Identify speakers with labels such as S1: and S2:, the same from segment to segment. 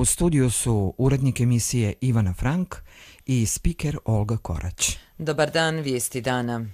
S1: U studiju su urednik emisije Ivana Frank i spiker Olga Korać.
S2: Dobar dan, vijesti dana.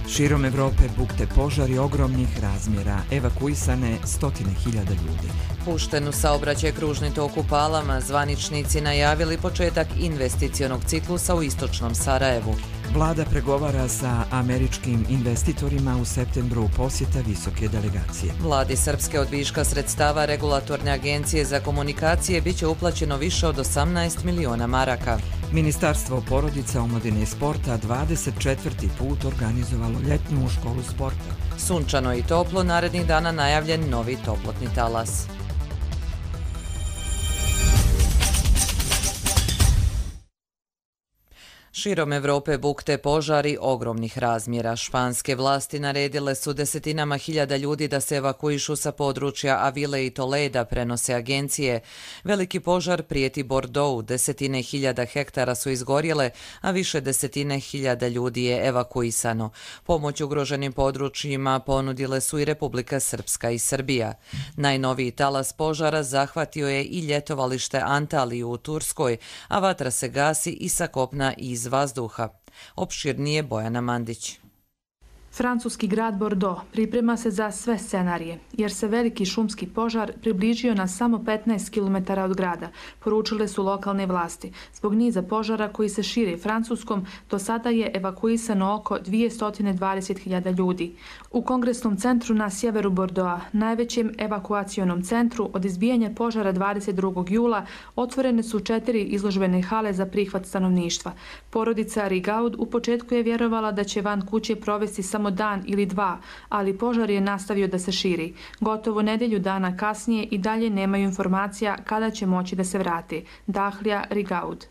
S1: Širom Evrope bukte požari ogromnih razmjera, evakuisane stotine hiljada ljudi.
S2: Pušten u saobraćaj kružni tok u Palama, zvaničnici najavili početak investicionog ciklusa u istočnom Sarajevu.
S1: Vlada pregovara sa američkim investitorima u septembru posjeta visoke delegacije.
S2: Vladi Srpske od viška sredstava Regulatorne agencije za komunikacije biće uplaćeno više od 18 miliona maraka.
S1: Ministarstvo porodica, omladine i sporta 24. put organizovalo ljetnu školu sporta.
S2: Sunčano i toplo, narednih dana najavljen novi toplotni talas. Širom Evrope bukte požari ogromnih razmjera. Španske vlasti naredile su desetinama hiljada ljudi da se evakuišu sa područja Avile i Toleda, prenose agencije. Veliki požar prijeti Bordeaux, desetine hiljada hektara su izgorjele, a više desetine hiljada ljudi je evakuisano. Pomoć ugroženim područjima ponudile su i Republika Srpska i Srbija. Najnoviji talas požara zahvatio je i ljetovalište Antaliju u Turskoj, a vatra se gasi i sa kopna i iz vazduha. Opširnije Bojana Mandić.
S3: Francuski grad Bordeaux priprema se za sve scenarije, jer se veliki šumski požar približio na samo 15 km od grada, poručile su lokalne vlasti. Zbog niza požara koji se šire Francuskom, do sada je evakuisano oko 220.000 ljudi. U kongresnom centru na sjeveru Bordeauxa, najvećem evakuacionom centru, od izbijanja požara 22. jula otvorene su 4 izložbene hale za prihvat stanovništva. Porodica Rigaud u početku je vjerovala da će van kuće provesti samo dan ili dva, ali požar je nastavio da se širi. Gotovo nedelju dana kasnije i dalje nemaju informacija kada će moći da se vrate. Dahlija Rigaud.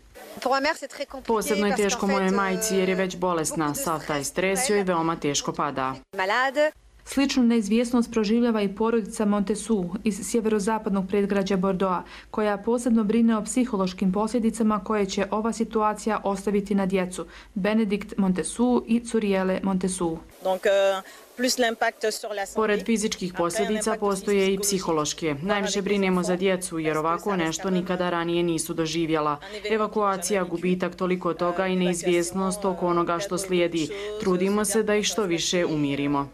S4: Posebno je teško mojoj majci jer je već bolesna. Sav taj stres joj veoma teško pada.
S3: Sličnu neizvjesnost proživljava i porodica Montesou iz sjeverozapadnog predgrađa Bordeauxa, koja posebno brine o psihološkim posljedicama koje će ova situacija ostaviti na djecu. Benedikt Montesou i Curiele Montesou.
S4: Pored fizičkih posljedica postoje i psihološke. Najviše brinemo za djecu jer ovako nešto nikada ranije nisu doživjela. Evakuacija, gubitak toliko toga i neizvjesnost oko onoga što slijedi. Trudimo se da ih što više umirimo.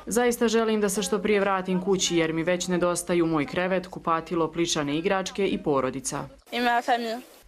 S4: Zaista želim da se što prije vratim kući jer mi već nedostaju moj krevet, kupatilo, plišane igračke i porodica.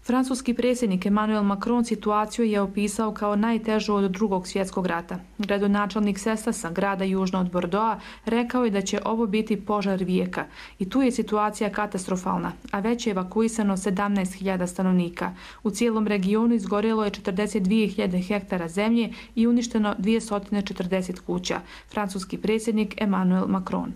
S3: Francuski predsjednik Emmanuel Macron situaciju je opisao kao najtežu od Drugog svjetskog rata. Gradonačelnik Sestasa, grada južno od Bordeauxa, rekao je da će ovo biti požar vijeka. I tu je situacija katastrofalna, a već je evakuisano 17.000 stanovnika. U cijelom regionu izgorjelo je 42.000 hektara zemlje i uništeno 240 kuća. Francuski predsjednik Emmanuel Macron.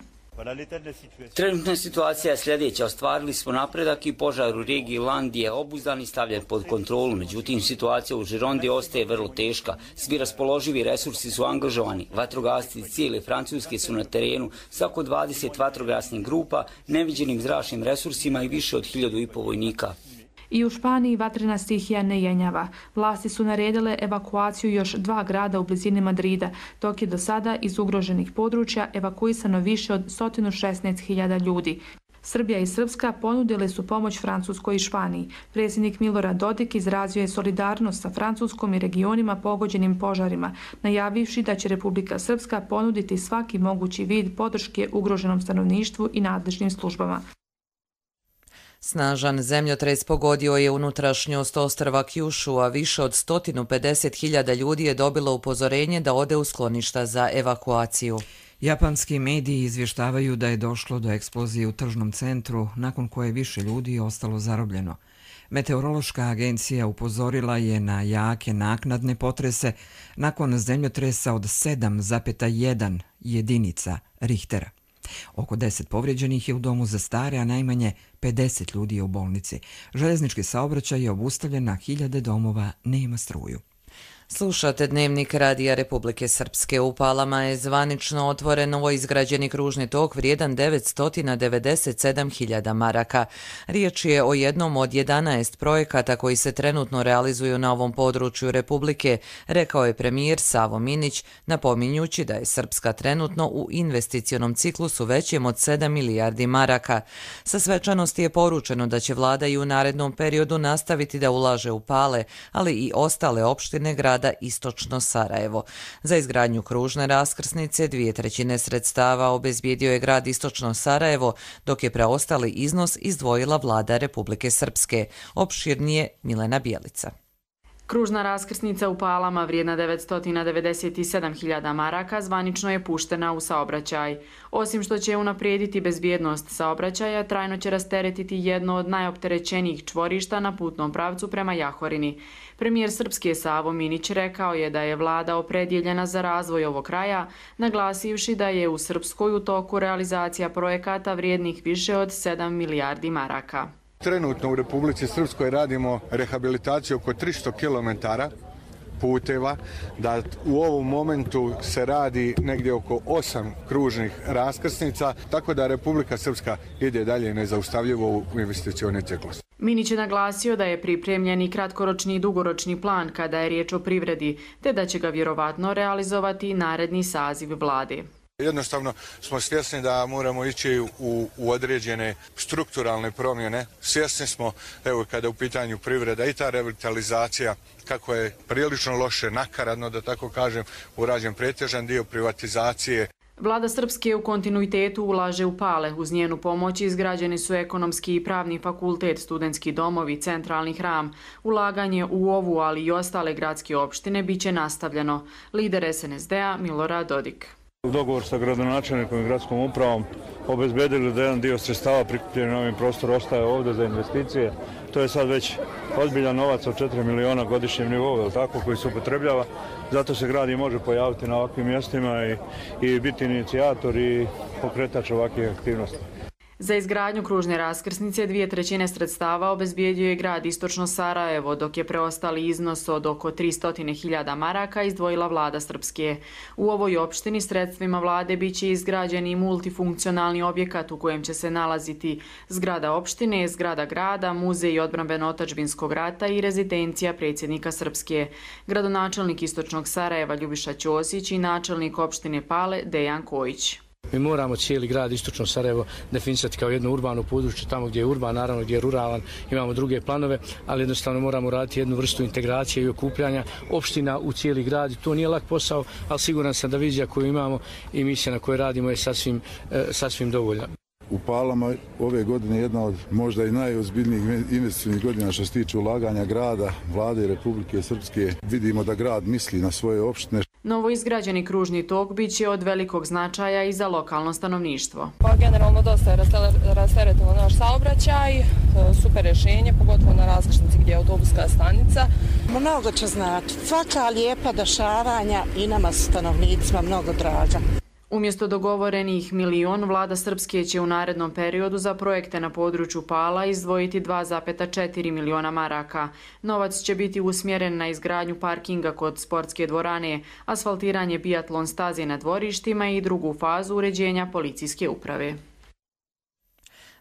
S5: Trenutna situacija je sljedeća. Ostvarili smo napredak i požar u regiji Land je obuzdan i stavljen pod kontrolu. Međutim, situacija u Girondi ostaje vrlo teška. Svi raspoloživi resursi su angažovani. Vatrogasci cijele Francuske su na terenu sa oko 20 vatrogasnih grupa, neviđenim zračnim resursima i više od 1.500 vojnika.
S3: I u Španiji vatrena stihija ne jenjava. Vlasti su naredile evakuaciju još 2 grada u blizini Madrida, dok je do sada iz ugroženih područja evakuisano više od 116.000 ljudi. Srbija i Srpska ponudile su pomoć Francuskoj i Španiji. Predsjednik Milorad Dodik izrazio je solidarnost sa Francuskom i regionima pogođenim požarima, najavivši da će Republika Srpska ponuditi svaki mogući vid podrške ugroženom stanovništvu i nadležnim službama.
S2: Snažan zemljotres pogodio je unutrašnjost ostrva Kyushu, a više od 150.000 ljudi je dobilo upozorenje da ode u skloništa za evakuaciju.
S1: Japanski mediji izvještavaju da je došlo do eksplozije u tržnom centru, nakon koje više ljudi je ostalo zarobljeno. Meteorološka agencija upozorila je na jake naknadne potrese nakon zemljotresa od 7,1 jedinica Richtera. Oko 10 povrijeđenih je u domu za stare, a najmanje 50 ljudi je u bolnici. Željeznički saobraćaj je obustavljen, na hiljade domova nema struju.
S2: Slušate Dnevnik Radija Republike Srpske. U Palama je zvanično otvoren novoizgrađeni kružni tok vrijedan 997.000 maraka. Riječ je o jednom od 11 projekata koji se trenutno realizuju na ovom području Republike, rekao je premijer Savo Minić, napominjući da je Srpska trenutno u investicionom ciklusu većem od 7 milijardi maraka. Sa svečanosti je poručeno da će vlada i u narednom periodu nastaviti da ulaže u Pale, ali i ostale opštine grada Istočno Sarajevo. Za izgradnju kružne raskrsnice 2/3 sredstava obezbijedio je grad Istočno Sarajevo, dok je preostali iznos izdvojila vlada Republike Srpske. Opširnije Milena Bijelica.
S4: Kružna raskrsnica u Palama vrijedna 997.000 maraka zvanično je puštena u saobraćaj. Osim što će unaprijediti bezbjednost saobraćaja, trajno će rasteretiti jedno od najopterećenijih čvorišta na putnom pravcu prema Jahorini. Premijer Srpske Savo Minić rekao je da je vlada opredjeljena za razvoj ovog kraja, naglasivši da je u Srpskoj u toku realizacija projekata vrijednih više od 7 milijardi maraka.
S6: Trenutno u Republici Srpskoj radimo rehabilitaciju oko 300 km puteva, da u ovom momentu se radi negdje oko 8 kružnih raskrsnica, tako da Republika Srpska ide dalje nezaustavljivo u investicioni ciklus.
S4: Minić je naglasio da je pripremljen i kratkoročni i dugoročni plan kada je riječ o privredi, te da će ga vjerovatno realizovati naredni saziv vlade.
S6: Jednostavno smo svjesni da moramo ići u određene strukturalne promjene. Svjesni smo, evo kada je u pitanju privreda i ta revitalizacija, kako je prilično loše, nakaradno da tako kažem, urađen pretežan dio privatizacije.
S4: Vlada Srpske u kontinuitetu ulaže u Pale. Uz njenu pomoć izgrađeni su ekonomski i pravni fakultet, studentski domovi, centralni hram. Ulaganje u ovu, ali i ostale gradske opštine biće nastavljeno. Lider SNSD-a Milorad Dodik.
S7: U dogovor sa gradonačelnikom i gradskom upravom obezbedili da jedan dio sredstava prikupljen na ovim prostoru ostaje ovdje za investicije. To je sad već ozbiljan novac od 4 miliona godišnjem nivou, tako, koji se upotrebljava. Zato se grad i može pojaviti na ovakvim mjestima i biti inicijator i pokretač ovakvih aktivnosti.
S4: Za izgradnju kružne raskrsnice 2/3 sredstava obezbijedio je grad Istočno Sarajevo, dok je preostali iznos od oko 300.000 maraka izdvojila vlada Srpske. U ovoj opštini sredstvima vlade biće izgrađen i multifunkcionalni objekat u kojem će se nalaziti zgrada opštine, zgrada grada, muzej odbrambeno-otadžbinskog rata i rezidencija predsjednika Srpske. Gradonačelnik Istočnog Sarajeva Ljubiša Ćosić i načelnik opštine Pale Dejan Kojić.
S8: Mi moramo cijeli grad Istočno Sarajevo definisati kao jedno urbano područje, tamo gdje je urban, naravno gdje je ruralan, imamo druge planove, ali jednostavno moramo raditi jednu vrstu integracije i okupljanja opština u cijeli grad. To nije lak posao, ali siguran sam da vizija koju imamo i misija na kojoj radimo je sasvim dovoljna.
S9: U Palama ove godine jedna od možda i najozbiljnijih investicijnih godina što se tiče ulaganja grada, vlade Republike Srpske. Vidimo da grad misli na svoje opštine.
S4: Novo izgrađeni kružni tok biće od velikog značaja i za lokalno stanovništvo.
S10: Generalno dosta je rasteretilo naš saobraćaj, super rješenje, pogotovo na raskrsnici gdje je autobuska stanica.
S11: Mnogo će znači, svaka lijepa dešavanja i nama stanovnicima mnogo draga.
S4: Umjesto dogovorenih 1 milion, vlada Srpske će u narednom periodu za projekte na području Pala izdvojiti 2,4 miliona maraka. Novac će biti usmjeren na izgradnju parkinga kod sportske dvorane, asfaltiranje biatlon staze na dvorištima i drugu fazu uređenja policijske uprave.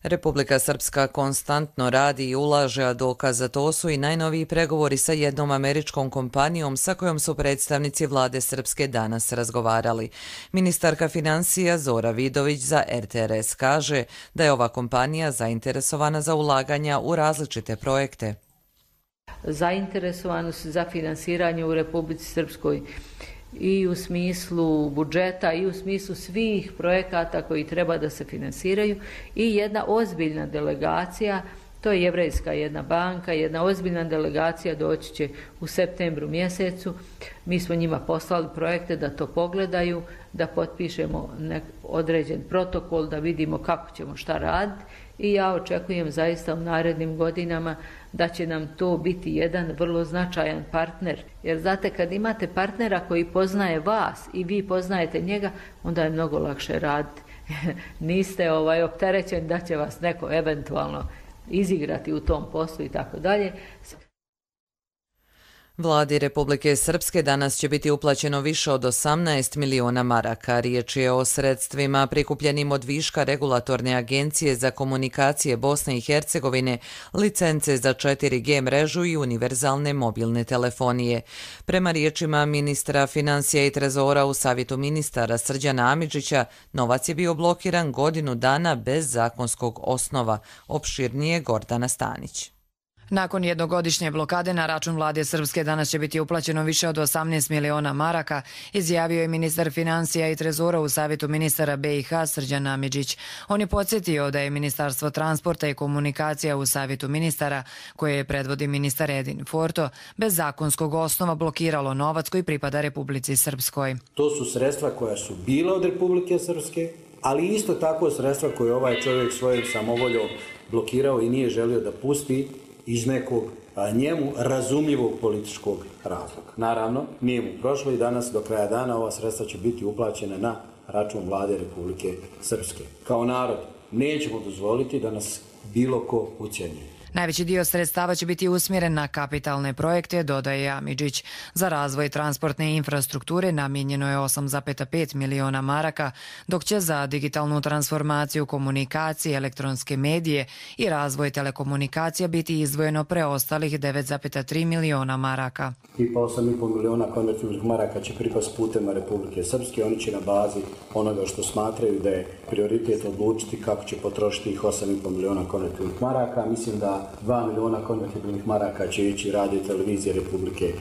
S2: Republika Srpska konstantno radi i ulaže, a dokaz za to su i najnoviji pregovori sa jednom američkom kompanijom sa kojom su predstavnici vlade Srpske danas razgovarali. Ministarka financija Zora Vidović za RTRS kaže da je ova kompanija zainteresovana za ulaganja u različite projekte.
S12: Zainteresovanost za finansiranje u Republici Srpskoj i u smislu budžeta i u smislu svih projekata koji treba da se finansiraju i jedna ozbiljna delegacija, to je Jevrejska jedna banka, jedna ozbiljna delegacija doći će u septembru mjesecu. Mi smo njima poslali projekte da to pogledaju, da potpišemo određen protokol, da vidimo kako ćemo šta raditi i ja očekujem zaista u narednim godinama da će nam to biti jedan vrlo značajan partner. Jer znate, kad imate partnera koji poznaje vas i vi poznajete njega, onda je mnogo lakše raditi. Niste opterećeni da će vas neko eventualno izigrati u tom poslu i tako dalje.
S2: Vladi Republike Srpske danas će biti uplaćeno više od 18 miliona maraka. Riječ je o sredstvima prikupljenim od viška regulatorne agencije za komunikacije Bosne i Hercegovine, licence za 4G mrežu i univerzalne mobilne telefonije. Prema riječima ministra financija i trezora u Savjetu ministara Srđana Amidžića, novac je bio blokiran godinu dana bez zakonskog osnova. Opširnije Gordana Stanić.
S13: Nakon jednogodišnje blokade na račun vlade Srpske danas će biti uplaćeno više od 18 miliona maraka, izjavio je ministar financija i trezora u Savjetu ministara BiH Srđan Amidžić. On je podsjetio da je Ministarstvo transporta i komunikacija u Savjetu ministara, koje predvodi ministar Edin Forto, bez zakonskog osnova blokiralo novac koji pripada Republici Srpskoj.
S14: To su sredstva koja su bila od Republike Srpske, ali isto tako sredstva koje ovaj čovjek svojom samovoljom blokirao i nije želio da pusti iz nekog njemu razumljivog političkog razloga. Naravno, nije mu prošlo i danas do kraja dana ova sredstva će biti uplaćena na račun vlade Republike Srpske. Kao narod nećemo dozvoliti da nas bilo ko ucjenjuje.
S13: Najveći dio sredstava će biti usmjeren na kapitalne projekte, dodaje Amidžić. Za razvoj transportne infrastrukture namijenjeno je 8,5 miliona maraka, dok će za digitalnu transformaciju komunikacije, elektronske medije i razvoj telekomunikacija biti izdvojeno preostalih 9,3 miliona maraka.
S14: Tipa 8,5 miliona konvertibilnih maraka će pripasti putem Republike Srpske. Oni će na bazi onoga što smatraju da je prioritet odlučiti kako će potrošiti ih 8,5 miliona konvertibilnih maraka. Mislim da 2 miliona konvertibilnih maraka će ići radio i televizije Republike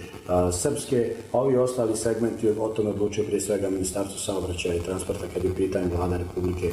S14: Srpske, a ovi ostali segmenti o tome odlučuje prije svega Ministarstvo saobraćaja i transporta kad je u pitanju vlada Republike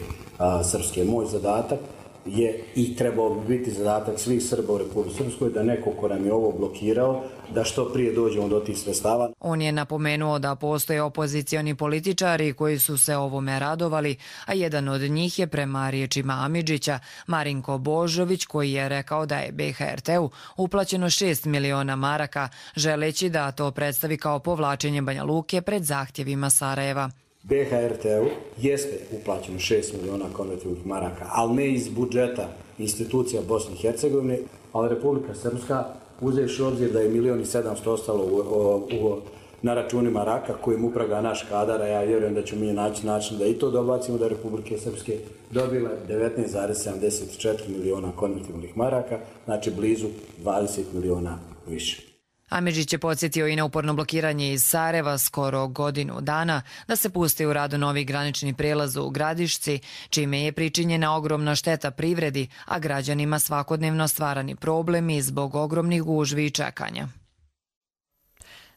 S14: Srpske. Moj zadatak je i trebao bi biti zadatak svih Srba u Republike Srpskoj da neko ko nam je ovo blokirao, da što prije dođemo do tih sredstava.
S13: On je napomenuo da postoje opozicioni političari koji su se ovome radovali, a jedan od njih je prema riječima Amidžića Marinko Božović, koji je rekao da je BHRT-u uplaćeno 6 miliona maraka, želeći da to predstavi kao povlačenje Banja Luke pred zahtjevima Sarajeva.
S14: BHRT-u jeste uplaćeno 6 miliona konvertibilnih maraka, ali ne iz budžeta institucija Bosne i Hercegovine, ali Republika Srpska, uzevši obzir da je 1.700.000 ostalo na računima Raka kojim upravlja naš kadar, a ja vjerujem da ćemo mi naći način da i to dobacimo, da Republike Srpske dobile 19,74 miliona konvertibilnih maraka, znači blizu 20 miliona više.
S13: Amidžić je podsjetio i na uporno blokiranje iz Sarajeva skoro godinu dana da se pusti u radu novi granični prijelaz u Gradišci, čime je pričinjena ogromna šteta privredi, a građanima svakodnevno stvarani problemi zbog ogromnih gužvi i čekanja.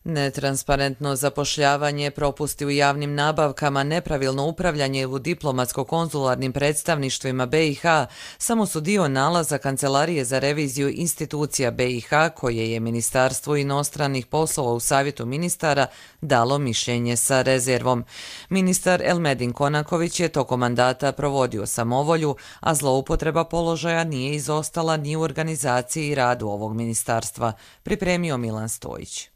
S2: Netransparentno zapošljavanje, propusti u javnim nabavkama, nepravilno upravljanje u diplomatsko-konzularnim predstavništvima BiH samo su dio nalaza Kancelarije za reviziju institucija BiH koje je Ministarstvo inostranih poslova u Savjetu ministara dalo mišljenje sa rezervom. Ministar Elmedin Konaković je tokom mandata provodio samovolju, a zloupotreba položaja nije izostala ni u organizaciji i radu ovog ministarstva, pripremio Milan Stojić.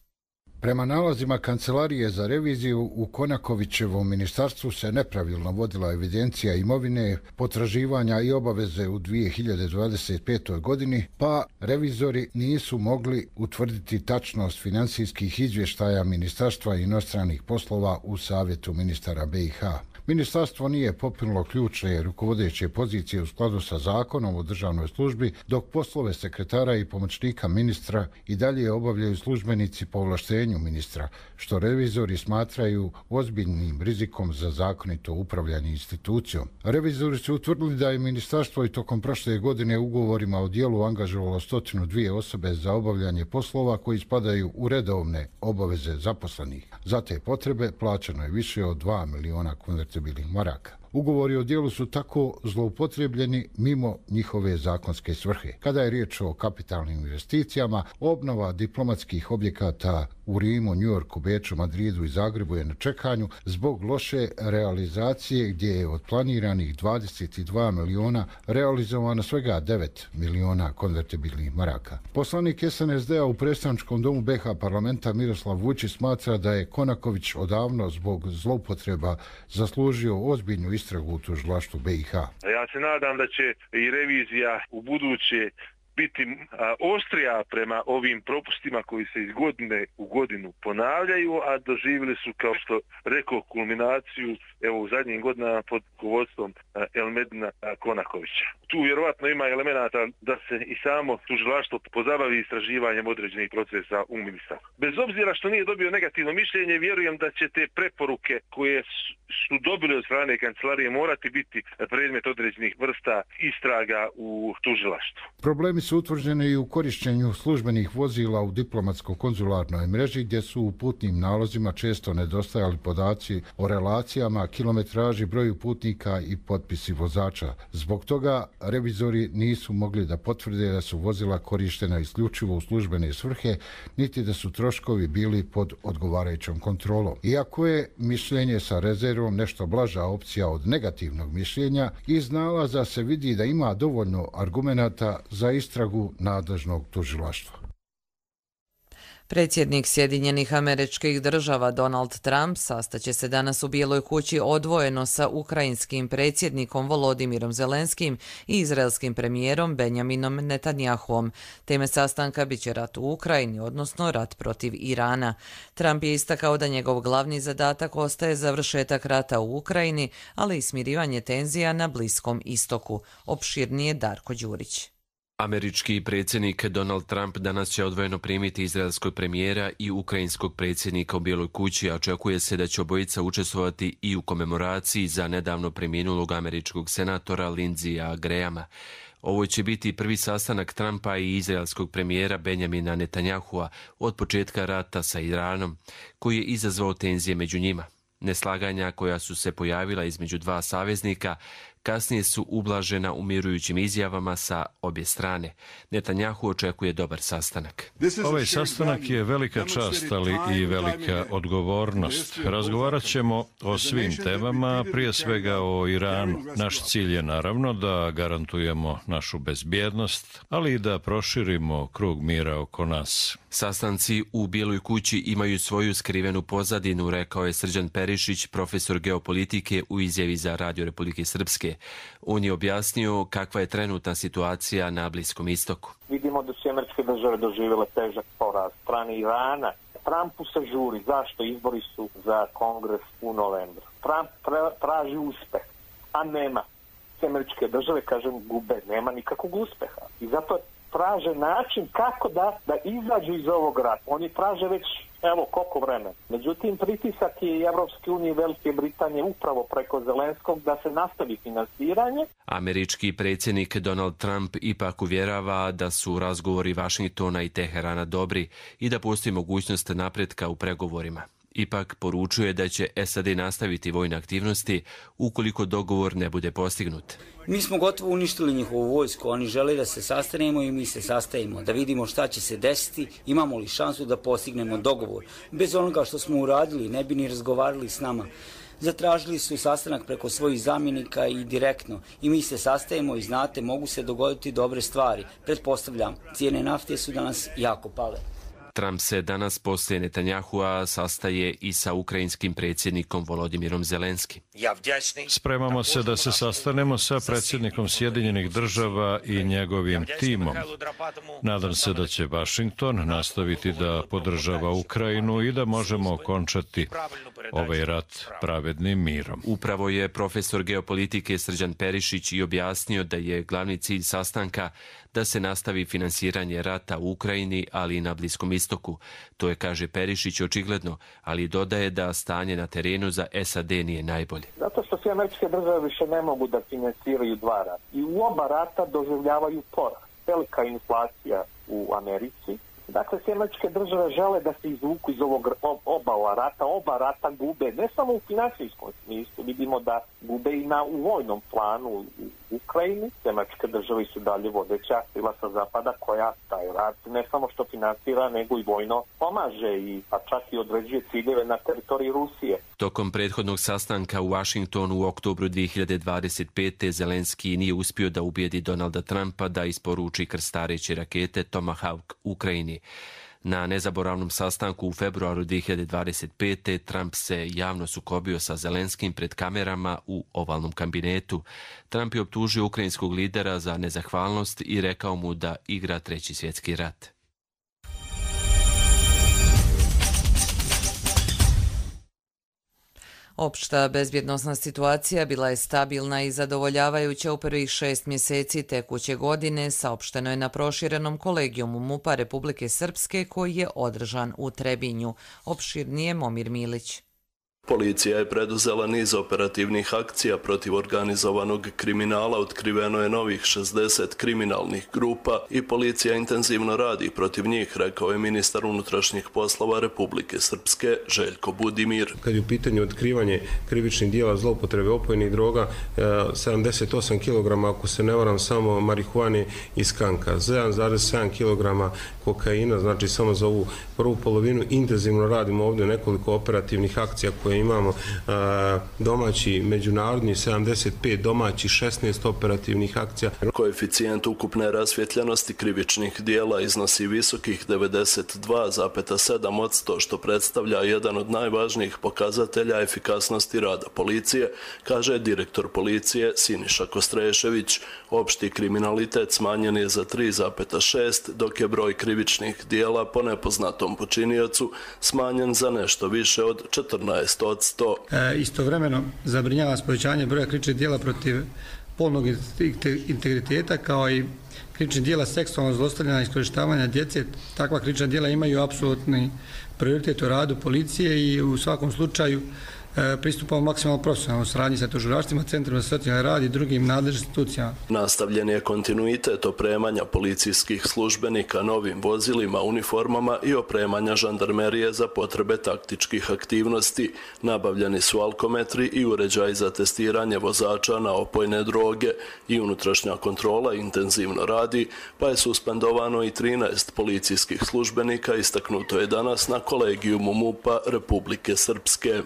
S15: Prema nalazima Kancelarije za reviziju, u Konakovićevom ministarstvu se nepravilno vodila evidencija imovine, potraživanja i obaveze u 2025. godini, pa revizori nisu mogli utvrditi tačnost finansijskih izvještaja Ministarstva inostranih poslova u Savjetu ministara BiH. Ministarstvo nije popililo ključne rukovodeće pozicije u skladu sa zakonom o državnoj službi, dok poslove sekretara i pomoćnika ministra i dalje obavljaju službenici po ovlaštenju ministra, što revizori smatraju ozbiljnim rizikom za zakonito upravljanje institucijom. Revizori su utvrdili da je ministarstvo i tokom prošle godine ugovorima o dijelu angažovalo 102 osobe za obavljanje poslova koji spadaju u redovne obaveze zaposlenih. Za te potrebe plaćeno je više od 2 miliona konvertibilnih maraka. Ugovori o dijelu su tako zloupotrebljeni mimo njihove zakonske svrhe. Kada je riječ o kapitalnim investicijama, obnova diplomatskih objekata u Rimu, Njujorku, Beču, Madridu i Zagrebu je na čekanju zbog loše realizacije gdje je od planiranih 22 miliona realizovano svega 9 miliona konvertibilnih maraka. Poslanik SNSD-a u predstavničkom domu BiH parlamenta Miroslav Vučić smatra da je Konaković odavno zbog zloupotreba zaslužio ozbiljnu istragu u tužilaštvu BiH.
S16: Ja se nadam da će i revizija u buduće biti oštrija prema ovim propustima koji se iz godine u godinu ponavljaju, a doživjeli su, kao što rekao, kulminaciju evo u zadnjim godinama pod rukovodstvom Elmedina Konakovića. Tu vjerovatno ima elemenata da se i samo tužilaštvo pozabavi istraživanjem određenih procesa u ministarstvu. Bez obzira što nije dobio negativno mišljenje, vjerujem da će te preporuke koje su dobili od strane kancelarije morati biti predmet određenih vrsta istraga u tužilaštvu.
S15: Problemi su utvrđeni i u korišćenju službenih vozila u diplomatsko-konzularnoj mreži, gdje su u putnim nalozima često nedostajali podaci o relacijama, kilometraži, broju putnika i potpisi vozača. Zbog toga revizori nisu mogli da potvrde da su vozila korištena isključivo u službene svrhe, niti da su troškovi bili pod odgovarajućom kontrolom. Iako je mišljenje sa rezervom nešto blaža opcija od negativnog mišljenja, iz nalaza se vidi da ima dovoljno argumenata za istragu nadležnog tužilaštva.
S2: Predsjednik Sjedinjenih Američkih Država Donald Trump sastaće se danas u Bijeloj kući odvojeno sa ukrajinskim predsjednikom Volodimirom Zelenskim i izraelskim premijerom Benjaminom Netanjahuom. Teme sastanka biće rat u Ukrajini, odnosno rat protiv Irana. Trump je istakao da njegov glavni zadatak ostaje završetak rata u Ukrajini, ali i smirivanje tenzija na Bliskom istoku. Opširnije Darko Đurić.
S17: Američki predsjednik Donald Trump danas će odvojeno primiti izraelskog premijera i ukrajinskog predsjednika u Bijeloj kući, a očekuje se da će obojica učestvovati i u komemoraciji za nedavno preminulog američkog senatora Lindseyja Grahama. Ovo će biti prvi sastanak Trumpa i izraelskog premijera Benjamina Netanyahua od početka rata sa Iranom, koji je izazvao tenzije među njima. Neslaganja koja su se pojavila između dva saveznika kasnije su ublažena umirujućim izjavama sa obje strane. Netanjahu očekuje dobar sastanak.
S18: Ovaj sastanak je velika čast, ali i velika odgovornost. Razgovarat ćemo o svim temama, prije svega o Iranu. Naš cilj je naravno da garantujemo našu bezbjednost, ali i da proširimo krug mira oko nas.
S17: Sastanci u Bijeloj kući imaju svoju skrivenu pozadinu, rekao je Srđan Perišić, profesor geopolitike u izjavi za Radio Republike Srpske. On je objasnio kakva je trenutna situacija na Bliskom istoku.
S19: Vidimo da su Američke države doživjele težak poraz strane Irana. Trumpu se žuri. Zašto? Izbori su za kongres u novembru. Trump traži uspeh, a nema. Američke države, kažem, gube. Nema nikakvog uspeha. I zato traže način kako da izađu iz ovog rata. Oni traže već koliko vremena. Međutim, pritisak je i Evropske unije i Velike Britanije upravo preko Zelenskog da se nastavi finansiranje.
S17: Američki predsjednik Donald Trump ipak uvjerava da su razgovori Vašingtona i Teherana dobri i da postoji mogućnost napretka u pregovorima. Ipak poručuje da će SAD nastaviti vojne aktivnosti ukoliko dogovor ne bude postignut.
S5: Mi smo gotovo uništili njihovu vojsku, oni žele da se sastanemo i mi se sastajemo, da vidimo šta će se desiti, imamo li šansu da postignemo dogovor. Bez onoga što smo uradili, ne bi ni razgovarali s nama. Zatražili su sastanak preko svojih zamjenika i direktno. I mi se sastajemo i znate, mogu se dogoditi dobre stvari. Pretpostavljam, cijene nafte su danas jako pale.
S17: Trump se danas poslije Netanjahua sastaje i sa ukrajinskim predsjednikom Volodimirom Zelenskim.
S18: Spremamo se da se sastanemo sa predsjednikom Sjedinjenih Država i njegovim timom. Nadam se da će Vašington nastaviti da podržava Ukrajinu i da možemo okončati ovaj rat pravednim mirom.
S17: Upravo je profesor geopolitike Srđan Perišić i objasnio da je glavni cilj sastanka da se nastavi finansiranje rata u Ukrajini, ali i na Bliskom istoku. To je, kaže Perišić, očigledno, ali dodaje da stanje na terenu za SAD nije najbolje.
S19: Zato što sve Američke države više ne mogu da finansiraju dva rata. I u oba rata doživljavaju poraz. Velika inflacija u Americi. Dakle, sve Američke države žele da se izvuku iz ovog oba rata. Oba rata gube ne samo u finansijskom smislu, vidimo da gube i u vojnom planu u Ukrajini. Sve Američke države su dalje vodeća sila sa zapada koja taj rat ne samo što finansira, nego i vojno pomaže, a čak i određuje ciljeve na teritoriji Rusije.
S17: Tokom prethodnog sastanka u Vašingtonu u oktobru 2025. Zelenski nije uspio da ubijedi Donalda Trumpa da isporuči krstareće rakete Tomahawk Ukrajini. Na nezaboravnom sastanku u februaru 2025. Trump se javno sukobio sa Zelenskim pred kamerama u ovalnom kabinetu. Trump je optužio ukrajinskog lidera za nezahvalnost i rekao mu da igra Treći svjetski rat.
S2: Opšta bezbjednosna situacija bila je stabilna i zadovoljavajuća u prvih 6 mjeseci tekuće godine, saopšteno je na proširenom kolegijumu MUP-a Republike Srpske koji je održan u Trebinju. Opširnije Momir Milić.
S20: Policija je preduzela niz operativnih akcija protiv organizovanog kriminala, otkriveno je novih 60 kriminalnih grupa i policija intenzivno radi protiv njih, rekao je ministar unutrašnjih poslova Republike Srpske Željko Budimir.
S21: Kad je u pitanju otkrivanje krivičnih dijela zloupotrebe opojnih droga, 78 kg, ako se ne varam, samo marihuane i skanka, 7,7 kg kokaina, znači samo za ovu prvu polovinu. Intenzivno radimo ovdje nekoliko operativnih akcija koje imamo, domaći, međunarodni 75, domaći 16 operativnih akcija.
S20: Koeficijent ukupne rasvjetljenosti krivičnih dijela iznosi visokih 92,7%, što predstavlja jedan od najvažnijih pokazatelja efikasnosti rada policije, kaže direktor policije Siniša Kostrešević. Opšti kriminalitet smanjen je za 3,6, dok je broj krivičnih dijela po nepoznatom počiniocu smanjen za nešto više od 14%.
S22: Istovremeno zabrinjava povećanje broja krivičnih dijela protiv polnog integriteta kao i krivičnih dijela seksualnog zlostavljanja i iskorištavanja djece. Takva krivična dijela imaju apsolutni prioritet u radu policije i u svakom slučaju pristupamo maksimalno profesionalno u saradnji sa tužilaštvima, centrima za socijalni rad i drugim nadležnim institucijama.
S20: Nastavljen je kontinuitet opremanja policijskih službenika novim vozilima, uniformama i opremanja žandarmerije za potrebe taktičkih aktivnosti. Nabavljeni su alkometri i uređaj za testiranje vozača na opojne droge i unutrašnja kontrola intenzivno radi, pa je suspendovano i 13 policijskih službenika, istaknuto je danas na kolegijumu MUP-a Republike Srpske.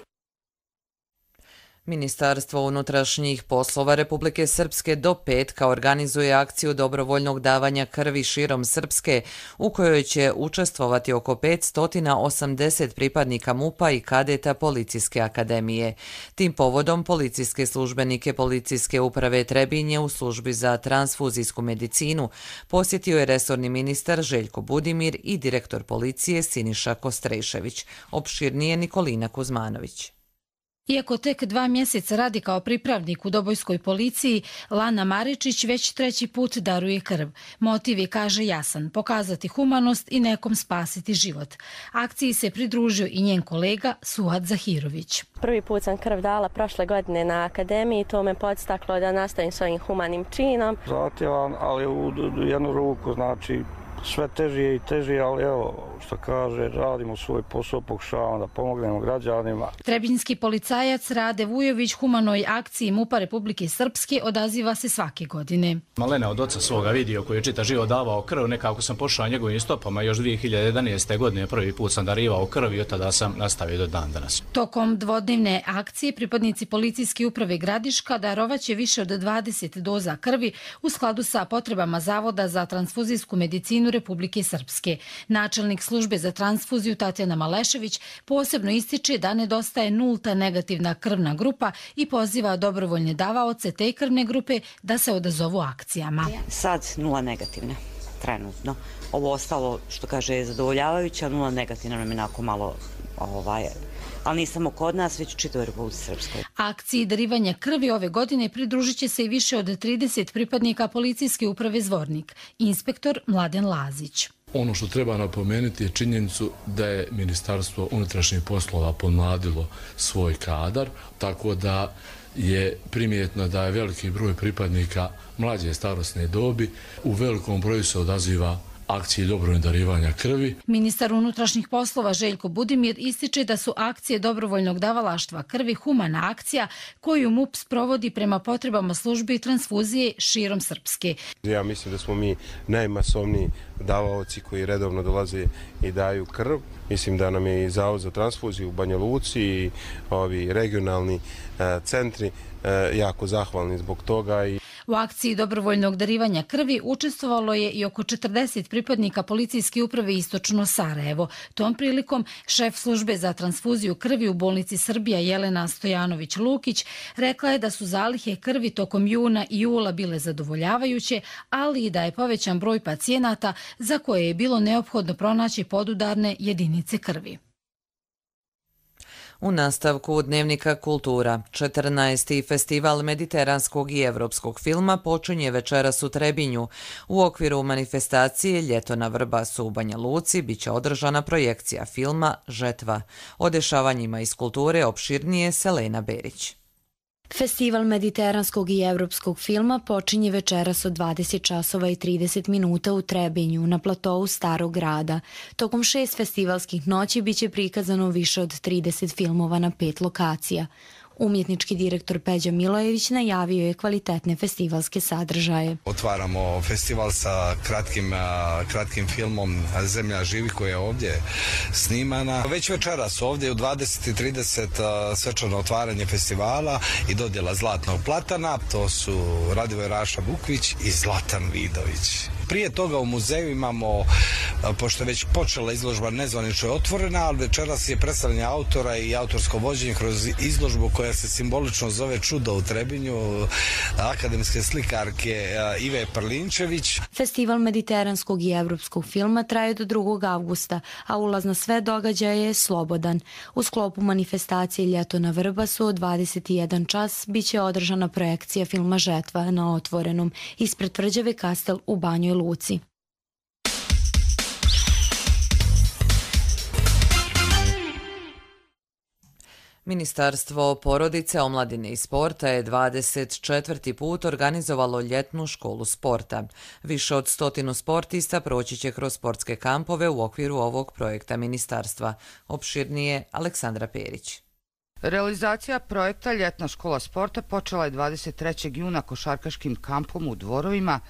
S2: Ministarstvo unutrašnjih poslova Republike Srpske do petka organizuje akciju dobrovoljnog davanja krvi širom Srpske, u kojoj će učestvovati oko 580 pripadnika MUP-a i kadeta Policijske akademije. Tim povodom policijske službenike Policijske uprave Trebinje u službi za transfuzijsku medicinu posjetio je resorni ministar Željko Budimir i direktor policije Siniša Kostrešević. Opširnije Nikolina Kuzmanović.
S23: Iako tek 2 mjeseca radi kao pripravnik u Dobojskoj policiji, Lana Maričić već 3. put daruje krv. Motiv je, kaže, jasan, pokazati humanost i nekom spasiti život. Akciji se pridružio i njen kolega Suad Zahirović.
S24: Prvi put sam krv dala prošle godine na akademiji, to me podstaklo da nastavim svojim humanim činom.
S25: Zahtjevan, ali u jednu ruku, znači sve teže i teže, ali evo, što kaže, radimo svoj posao, pokušavamo da pomognemo građanima.
S23: Trebinjski policajac Rade Vujović humanoj akciji MUP-a Republike Srpske odaziva se svake godine.
S26: Malena od oca svoga vidio koji je čita život davao krv, nekako sam pošao njegovim stopama, još 2011. godine prvi put sam darivao krv i od tada sam nastavio do dan danas.
S23: Tokom dvodnevne akcije pripadnici Policijske uprave Gradiška darovaće više od 20 doza krvi u skladu sa potrebama Zavoda za transfuzijsku medicinu Republike Srpske. Načelnik službe za transfuziju Tatjana Malešević posebno ističe da nedostaje nulta negativna krvna grupa i poziva dobrovoljne davaoce te krvne grupe da se odazovu akcijama.
S27: Sad 0 negativne, trenutno. Ovo ostalo, što kaže, je zadovoljavajuće, 0 negativna nam je onako malo, ali nije samo kod nas, već u čitavoj Republici Srpskoj.
S23: Akciji darivanja krvi ove godine pridružit će se i više od 30 pripadnika Policijske uprave Zvornik, inspektor Mladen Lazić.
S28: Ono što treba napomenuti je činjenicu da je Ministarstvo unutrašnjih poslova pomladilo svoj kadar, tako da je primjetno da je veliki broj pripadnika mlađe starosne dobi u velikom broju se odaziva akcije dobrovoljnog darivanja krvi.
S23: Ministar unutrašnjih poslova Željko Budimir ističe da su akcije dobrovoljnog davalaštva krvi humana akcija koju MUP sprovodi prema potrebama službe i transfuzije širom Srpske.
S21: Ja mislim da smo mi najmasovniji davaoci koji redovno dolaze i daju krv, Mislim da nam je i Zavod za transfuziju u Banja Luci i ovi regionalni centri jako zahvalni zbog toga.
S23: U akciji dobrovoljnog darivanja krvi učestvovalo je i oko 40 pripadnika policijske uprave Istočno Sarajevo. Tom prilikom šef službe za transfuziju krvi u bolnici Srbija Jelena Stojanović-Lukić rekla je da su zalihe krvi tokom juna i jula bile zadovoljavajuće, ali i da je povećan broj pacijenata za koje je bilo neophodno pronaći podudarne jedinice krvi.
S2: U nastavku Dnevnika Kultura, 14. festival mediteranskog i evropskog filma počinje večeras u Trebinju. U okviru manifestacije Ljeto na Vrbasu u Banja Luci biće održana projekcija filma Žetva. O dešavanjima iz kulture opširnije Selena Berić.
S1: Festival mediteranskog i evropskog filma počinje večeras od 20 časova i 30 minuta u Trebinju, na platovu Starog grada. Tokom 6 festivalskih noći biće prikazano više od 30 filmova na 5 lokacija. Umjetnički direktor Peđa Milojević najavio je kvalitetne festivalske sadržaje.
S3: Otvaramo festival sa kratkim filmom Zemlja živi koja je ovdje snimana. Već večeras ovdje u 20:30 svečano otvaranje festivala i dodjela Zlatnog platana. To su Radivoj Raša Bukvić i Zlatan Vidović. Prije toga u muzeju imamo, pošto je već počela izložba nezvanično je otvorena, ali večeras je predstavljanje autora i autorsko vođenje kroz izložbu koja se simbolično zove Čudo u Trebinju, akademske slikarke Ive Prlinčević.
S1: Festival mediteranskog i evropskog filma traje do 2. avgusta, a ulaz na sve događaje je slobodan. U sklopu manifestacije Ljeto na Vrbasu od 21 čas biće održana projekcija filma Žetva na otvorenom ispred tvrđave Kastel u Banjoj Luci.
S2: Ministarstvo porodice, omladine i sporta je 24. put organizovalo ljetnu školu sporta. Više od 100 sportista proći će kroz sportske kampove u okviru ovog projekta ministarstva. Opširnije Aleksandra Perić.
S6: Realizacija projekta Ljetna škola sporta počela je 23. juna košarkaškim kampom u Dvorovima,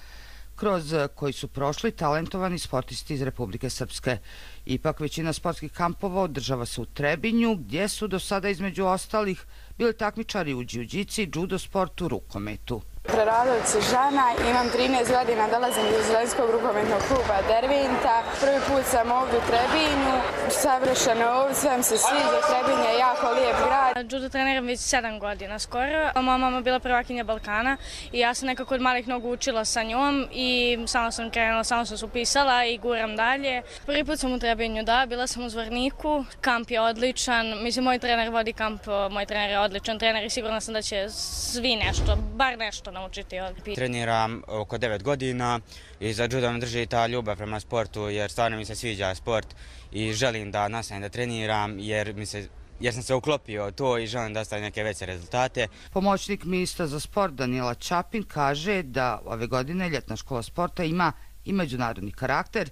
S6: kroz koji su prošli talentovani sportisti iz Republike Srpske. Ipak većina sportskih kampova održava se u Trebinju, gdje su do sada između ostalih bili takmičari u džiu-džici, judo sportu, rukometu.
S7: Preradović Žana, imam 13 godina, dolazim iz Zrenskog rukometnog kluba Dervinta. Prvi put sam ovdje u Trebinju, savršeno ovdje, sve mi se sviđa, Trebinj je jako lijep grad.
S8: Judo treniram već 7 godina skoro. Moja mama bila prvakinja Balkana i ja sam nekako od malih nogu učila sa njom i samo sam krenula, samo sam se upisala i guram dalje. Prvi put sam u Trebinju, da, bila sam u Zvorniku, kamp je odličan, mislim moj trener vodi kamp, moj trener je odličan trener i sigurna sam da će svi nešto, bar nešto naučiti ovdje.
S9: Treniram oko 9 godina i za judo me drži ta ljubav prema sportu jer stvarno mi se sviđa sport i želim da nastavim da treniram jer sam se uklopio to i želim da ostavim neke veće rezultate.
S6: Pomoćnik ministra za sport Danijela Čapin kaže da ove godine Ljetna škola sporta ima i međunarodni karakter,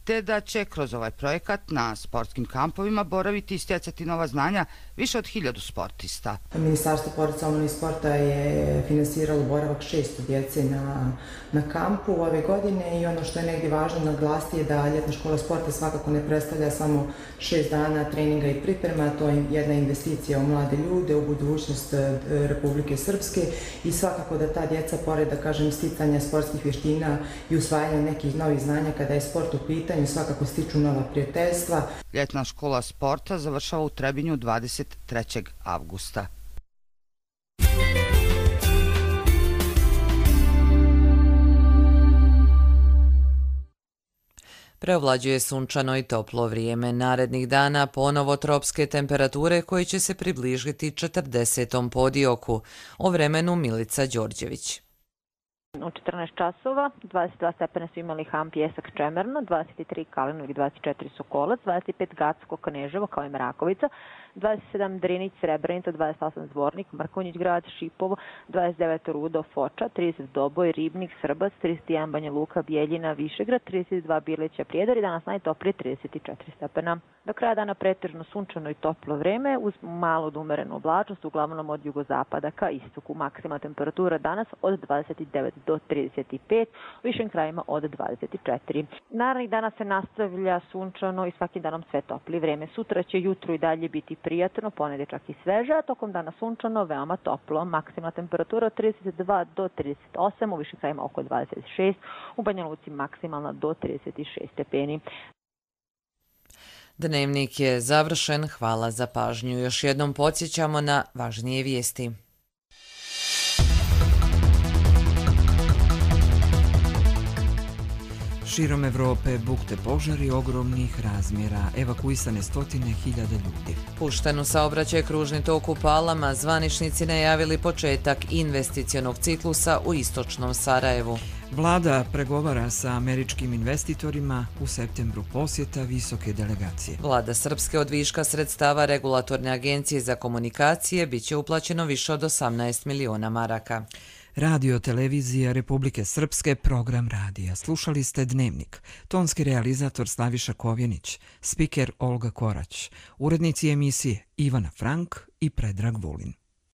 S6: te da će kroz ovaj projekat na sportskim kampovima boraviti i stjecati nova znanja više od 1000 sportista.
S10: Ministarstvo porodice, omladine i sporta je finansiralo boravak 600 djece na kampu ove godine i ono što je negdje važno naglasiti je da Ljetna škola sporta svakako ne predstavlja samo 6 dana treninga i priprema, to je jedna investicija u mlade ljude, u budućnost Republike Srpske i svakako da ta djeca, pored da kažem sticanja sportskih vještina i usvajanja nekih novih znanja kada je sport u pitanju, svakako stiču nova prijateljstva.
S6: Ljetna škola sporta završava u Trebinju 23. avgusta.
S2: Preovlađuje sunčano i toplo vrijeme. Narednih dana ponovo tropske temperature koje će se približiti 40. podioku. O vremenu Milica Đorđević.
S11: U 14 časova 22 stepena su imali Han, Pjesak, Čemerno, 23 Kalinovik, 24 Sokolac, 25 Gacko, Kneževo kao i Mrakovica, 27 Drinić, Srebrenica, 28 Zvornik, Mrkonjić grad, Šipovo, 29 Rudo, Foča, 30 Doboj, Ribnik, Srbac, 31 Banja Luka, Bijeljina, Višegrad, 32 Bilića, Prijedor i danas najtoplije 34 stepena. Do kraja dana pretežno sunčano i toplo vreme uz malo umerenu oblačnost, uglavnom od jugozapada ka istoku. Maksimalna temperatura danas od 29 do 35, u višim krajima od 24. Naravnih dana se nastavlja sunčano i svakim danom sve topli. Vreme sutra će jutru i dalje biti prijatno, ponedjeljak čak i sveže, a tokom dana sunčano, veoma toplo. Maksimalna temperatura od 32 do 38, u višim krajima oko 26, u Banja Luci maksimalna do 36 stepeni.
S2: Dnevnik je završen, hvala za pažnju. Još jednom podsjećamo na važnije vijesti.
S4: Širom Evrope bukte požari ogromnih razmjera, evakuisane stotine hiljada ljudi.
S2: Pušten u saobraćaj kružni tok u Palama, zvaničnici najavili početak investicionog ciklusa u istočnom Sarajevu.
S4: Vlada pregovara sa američkim investitorima, u septembru posjeta visoke delegacije.
S2: Vlada Srpske od viška sredstava Regulatorne agencije za komunikacije biće uplaćeno više od 18 miliona maraka.
S4: Radio televizija Republike Srpske, program radija. Slušali ste Dnevnik. Tonski realizator Slaviša Kovjenić, spiker Olga Korać, urednici emisije Ivana Frank i Predrag Vulin.